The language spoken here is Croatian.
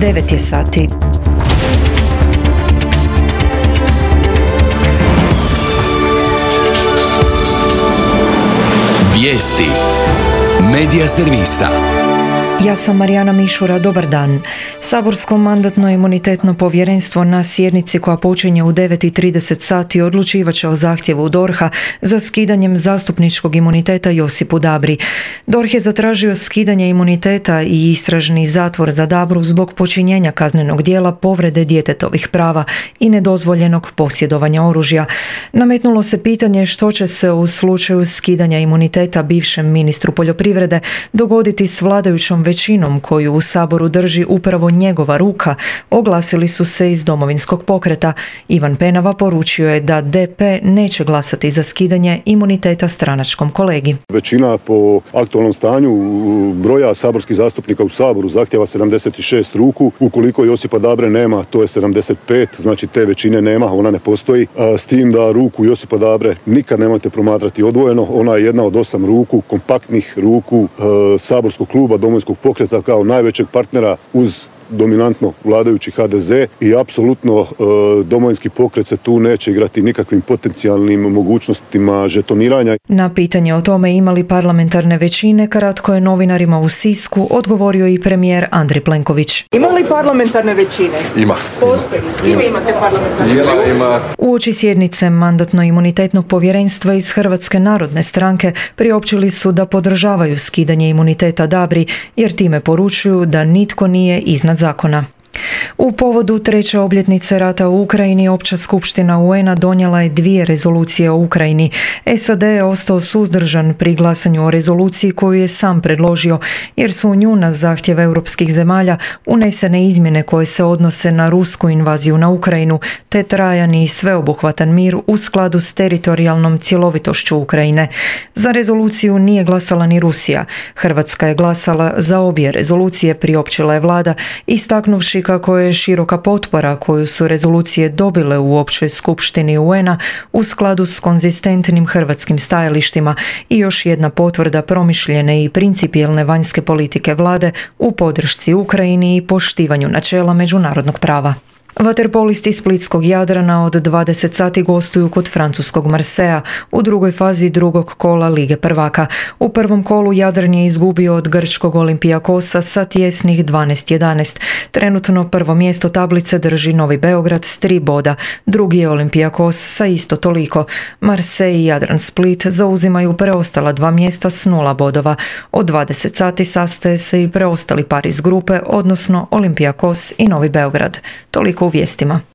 9 je sati. Vijesti Medija servisa. Ja sam Marijana Mišura, dobar dan. Saborsko mandatno-imunitetno povjerenstvo na sjednici koja počinje u 9:30 sati odlučivat će o zahtjevu DORH-a za skidanjem zastupničkog imuniteta Josipu Dabri. DORH je zatražio skidanje imuniteta i istražni zatvor za Dabru zbog počinjenja kaznenog djela povrede djetetovih prava i nedozvoljenog posjedovanja oružja. Nametnulo se pitanje što će se u slučaju skidanja imuniteta bivšem ministru poljoprivrede dogoditi s vladajućom većinom koju u Saboru drži upravo njegova ruka, oglasili su se iz Domovinskog pokreta. Ivan Penava poručio je da DP neće glasati za skidanje imuniteta stranačkom kolegi. Većina po aktualnom stanju broja saborskih zastupnika u Saboru zahtjeva 76 ruku. Ukoliko Josipa Dabre nema, to je 75, znači te većine nema, ona ne postoji. S tim da ruku Josipa Dabre nikad nemojte promatrati odvojeno, ona je jedna od 8 ruku, kompaktnih ruku saborskog kluba Domovinskog pokreta kao najvećeg partnera uz dominantno vladajući HDZ i apsolutno Domovinski pokret se tu neće igrati nikakvim potencijalnim mogućnostima žetoniranja. Na pitanje o tome imali parlamentarne većine, kratko je novinarima u Sisku odgovorio i premijer Andrej Plenković. Ima li parlamentarne većine? Ima. Postoji. S kime imate parlamentarne većine? Ima. Uoči sjednice mandatno-imunitetnog povjerenstva iz Hrvatske narodne stranke priopćili su da podržavaju skidanje imuniteta Dabri jer time poručuju da nitko nije iznad zakona. U povodu 3. obljetnice rata u Ukrajini, Opća skupština UN-a donijela je 2 rezolucije o Ukrajini. SAD je ostao suzdržan pri glasanju o rezoluciji koju je sam predložio, jer su u nju na zahtjev europskih zemalja unesene izmjene koje se odnose na rusku invaziju na Ukrajinu, te trajan i sveobuhvatan mir u skladu s teritorijalnom cjelovitošću Ukrajine. Za rezoluciju nije glasala ni Rusija. Hrvatska je glasala za obje rezolucije, priopćila je vlada, istaknuvši kako je široka potpora koju su rezolucije dobile u Općoj skupštini UN-a u skladu s konzistentnim hrvatskim stajalištima i još jedna potvrda promišljene i principijelne vanjske politike vlade u podršci Ukrajini i poštivanju načela međunarodnog prava. Vaterpolisti splitskog Jadrana od 20 sati gostuju kod francuskog Marseja u drugoj fazi drugog kola Lige prvaka. U prvom kolu Jadran je izgubio od grčkog Olympiakosa sa tjesnih 12-11. Trenutno prvo mjesto tablice drži Novi Beograd s 3 boda, drugi je Olympiakos sa isto toliko. Marsej i Jadran Split zauzimaju preostala 2 mjesta s 0 bodova. Od 20 sati sastaje se i preostali par iz grupe, odnosno Olympiakos i Novi Beograd. Toliko u vijestima.